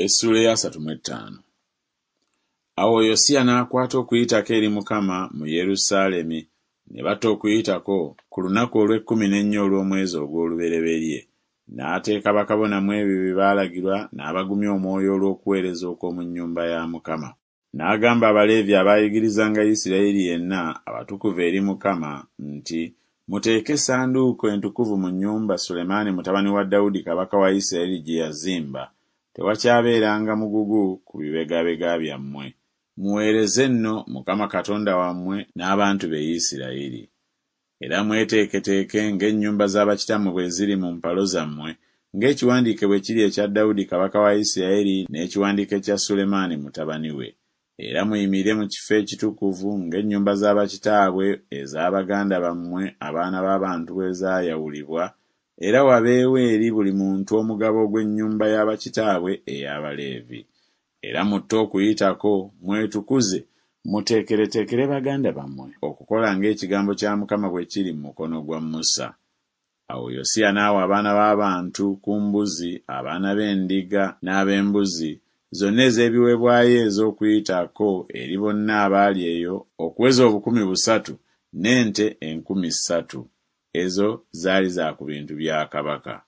Essuula ey'asatu mu ettaano. Awo Yosiya n'akwata Okuyitako eri Mukama mu Yerusaalemi, ne batta Okuyitako ku lunaku olw'ekkumi n'ennya olw'omwezi ogw'olubereberye. N'ateeka bakabona mu ebyo bye baalagirwa n'abagumya omwoyo olw'okuweereza okw'omu nnyumba ya Mukama. N'agamba Abaleevi abaayigirizanga Isirayiri yenna, abatukuvu eri Mukama, nti Muteeke essanduuko entukuvu mu nnyumba Sulemaani mutabani wa Dawudi kabaka wa Isirayiri gye yazimba, tewakyabeeranga mugugu ku bibegabega byammwe. Muweereze nno Mukama Katonda wammwe n'abantu be Isirayiri. Era mweteeketeeke ng'ennyumba za bakitammwe bwe ziri mu mpalo zammwe, ng'ekiwandiike bwe kiri ekya Dawudi kabaka wa Isirayiri n'ekiwandiiko ekya Sulemaani mutabani we. Era muyimirire mu kifo ekitukuvu ng'ennyumba za bakitaabwe eza baganda bammwe abaana b'abantu bwe zaayawulibwa, era wabeewo eri buli muntu omugabo ogw'ennyumba ya bakitaabwe ey'Abaleevi. Era mutte Okuyitako, mwetukuze, muteekereteekere baganda bammwe okukola ng'ekigambo kya Mukama bwe kiri mu mukono gwa Musa. Awo Yosiya n'awa abaana b'abantu ku mbuzi, abaana b'endiga n'ab'embuzi, zonna ez'ebiweebwayo ez'Okuyitako eri bonna abaali eyo okuweza 3,000, n'ente 3,000. Ezo zaali za ku bintu bya kabaka.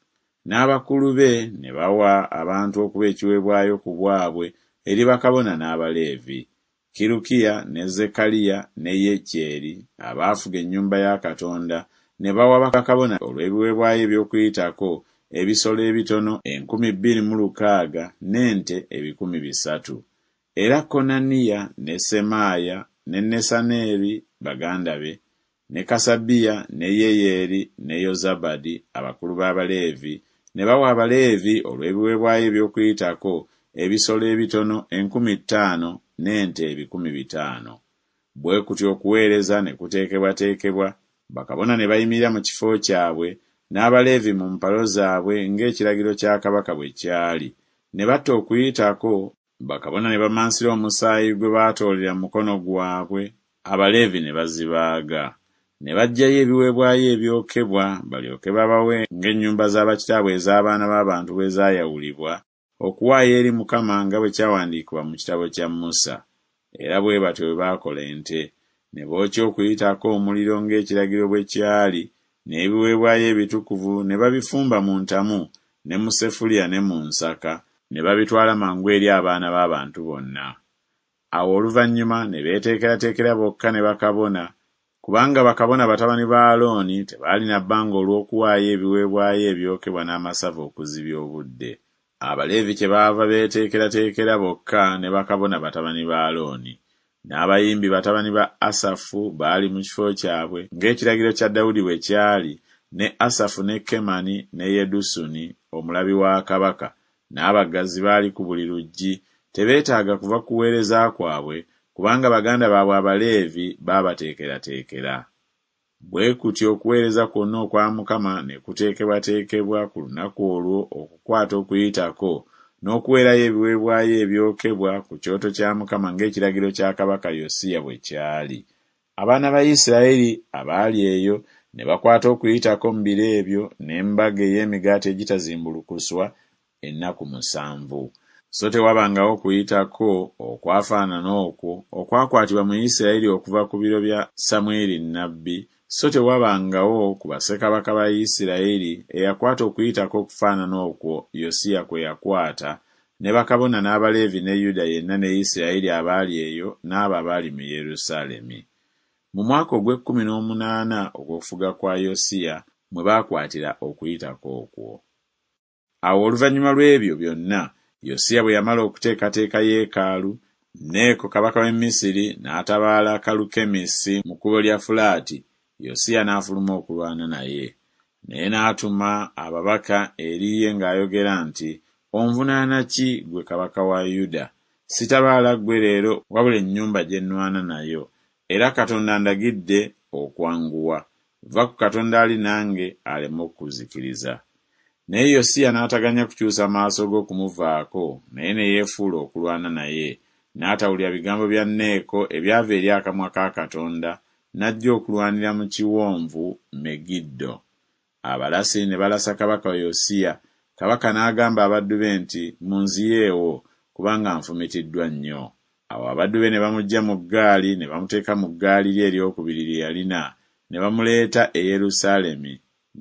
N'abakulu be ne bawa abantu okuba ekiweebwayo ku bwabwe eri bakabona n'Abaleevi. Kirukiya ne Zekkaliya ne Yekyeri abaafuga ennyumba ya Katonda ne bawa bakabona olw'ebiweebwayo eby'Okuyitako ebisolo ebitono 2,600 n'ente 300. Era Konaniya ne Semaaya ne Nesaneri baganda be, ne Kasabiya ne Yeyeri ne Yozabadi abakulu b'Abaleevi ne bawa Abaleevi olw'ebiweebwayo eby'Okuyitako ebisolo ebitono 5,000 n'ente 500. Bwe kutyo okuweereza ne kuteekebwateekebwa, bakabona ne bayimirira mu kifo kyabwe, n'Abaleevi mu mpalo zaabwe ng'ekiragiro kya kabaka bwe kyali, ne batta Okuyitako, bakabona ne bamansira omusaayi gwe baatoolera mu mukono gwabwe, Abaleevi ne bazibaaga. Ne baggyayo ebiweebwayo ebyokebwa balyoke babawe ng'ennyumba za bakitaabwe ez'abaana b'abantu bwe zaayawulibwa, okuwaayo eri Mukama nga bwe kyawandiikibwa mu kitabo kya Musa. Era bwe batyo bwe baakola ente. Ne bookya Okuyitako omuliro ng'ekiragiro bwe kyali, n'ebiweebwayo ebitukuvu ne babifumba mu ntamu ne mu sefuliya ne mu nsaka, ne babitwala mangu eri abaana b'abantu bonna. Awo oluvannyuma ne beeteekerateekera bokka ne bakabona, kubanga bakabona batabani ba Alooni tebaalina bbanga olw'okuwaayo ebiweebwayo ebyokebwa n'amasavu okuzibya obudde. Abaleevi kyebaava beeteekerateekera bokka ne bakabona batabani ba Alooni. N'abayimbi batabani ba Asafu baali mu kifo kyabwe, ng'ekiragiro kya Dawudi bwe kyali, ne Asafu ne Kemani ne Yedusuni omulabi wa kabaka, n'abaggazi baali ku buli luggi, tebeetaaga kuva ku kuweereza kwabwe, kubanga baganda baabwe Abaleevi baabateekerateekera. Bwe kutyo okuweereza kwonna okwa Mukama ne kuteekebwateekebwa ku lunaku olwo okukwata Okuyitako, n'okuweerayo ebiweebwayo ebyokebwa ku kyoto kya Mukama ng'ekiragiro kya kabaka Yosiya bwe kyali. Abaana ba Isiraeri abaali eyo ne bakwata Okuyitako mu biro ebyo n'embaga ey'emigaati egitazimbulukuswa ennaku musanvu. So tewabangawo Kuyitako okwafaanana okwo okwakwatibwa mu Isiraeri okuva ku biro bya Samwiri nnabbi, so tewabangawo ku bassekabaka ba Isiraeri eyakwata Okuyitako okufaanana okwo Yosiya kwe yakwata, ne bakabona n'Abaleevi ne Yuda yenna ne Isiraeri abaali eyo n'abo abaali mu Yerusaalemi. Mu mwaka ogw'ekkumi n'omunaana ogw'okufuga kwa Yosiya mwe baakwatira Okuyitako okwo. Awo oluvannyuma lw'ebyo byonna, Yosiya bwe yamala okuteekateeka yeekaalu, Neeko kabaka w'e Misiri n'atabaala Kalukemisi mu kkubo lya Fulaati, Yosiya n'afuluma okulwana naye. Naye n'atuma ababaka eri ye ng'ayogera nti Onvunaana ki, ggwe kabaka wa Yuda? Sitabaala ggwe leero wabula ennyumba gye nnwana nayo, era Katonda andagidde okwanguwa. Va ku Katonda ali nange aleme okukuzikiriza. Naye Yosiya n'ataganya kukyusa maaso ge okumuvaako, naye ne yeefuula okulwana naye, n'atawulira bigambo bya Neeko ebyava eri akamwa ka Katonda, n'ajja okulwanira mu kiwonvu Megiddo. Abalasi ne balasa kabaka Yosiya, Kabaka n'agamba abaddu be nti, Munziyeewo, kubanga nfumitiddwa nnyo. Awo abaddu be ne bamuggya mu ggaali ne bamuteeka mu ggaali lye eryokubiri lye yalina, ne bamuleeta e Yerusaalemi,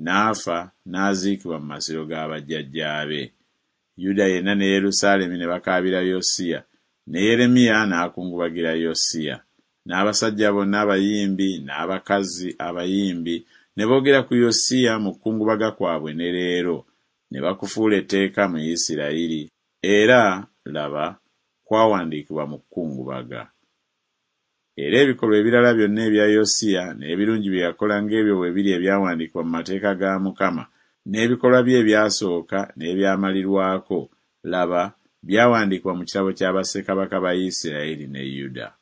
n'afa n'aziikibwa mu masiro ga bajjajjaabe. Yuda yenna ne Yerusaalemi ne bakaabira Yosiya, ne Yeremiya n'akungubagira Yosiya. N'abasajja bonna abayimbi n'abakazi abayimbi ne boogera ku Yosiya mu kukungubaga kwabwe ne leero, ne bakufuula etteeka mu Isirayiri, era, laba, kwawandiikibwa mu kukungubaga. Era ebikolwa ebirala byonna ebya Yosiya n'ebirungi bye yakola ng'ebyo bwe biri ebyawandiikibwa mu mateeka ga Mukama, n'ebikolwa bye ebyasooka n'ebyamalirwako, laba, byawandiikibwa mu kitabo kya bassekabaka ba Isirayiri ne Yuda.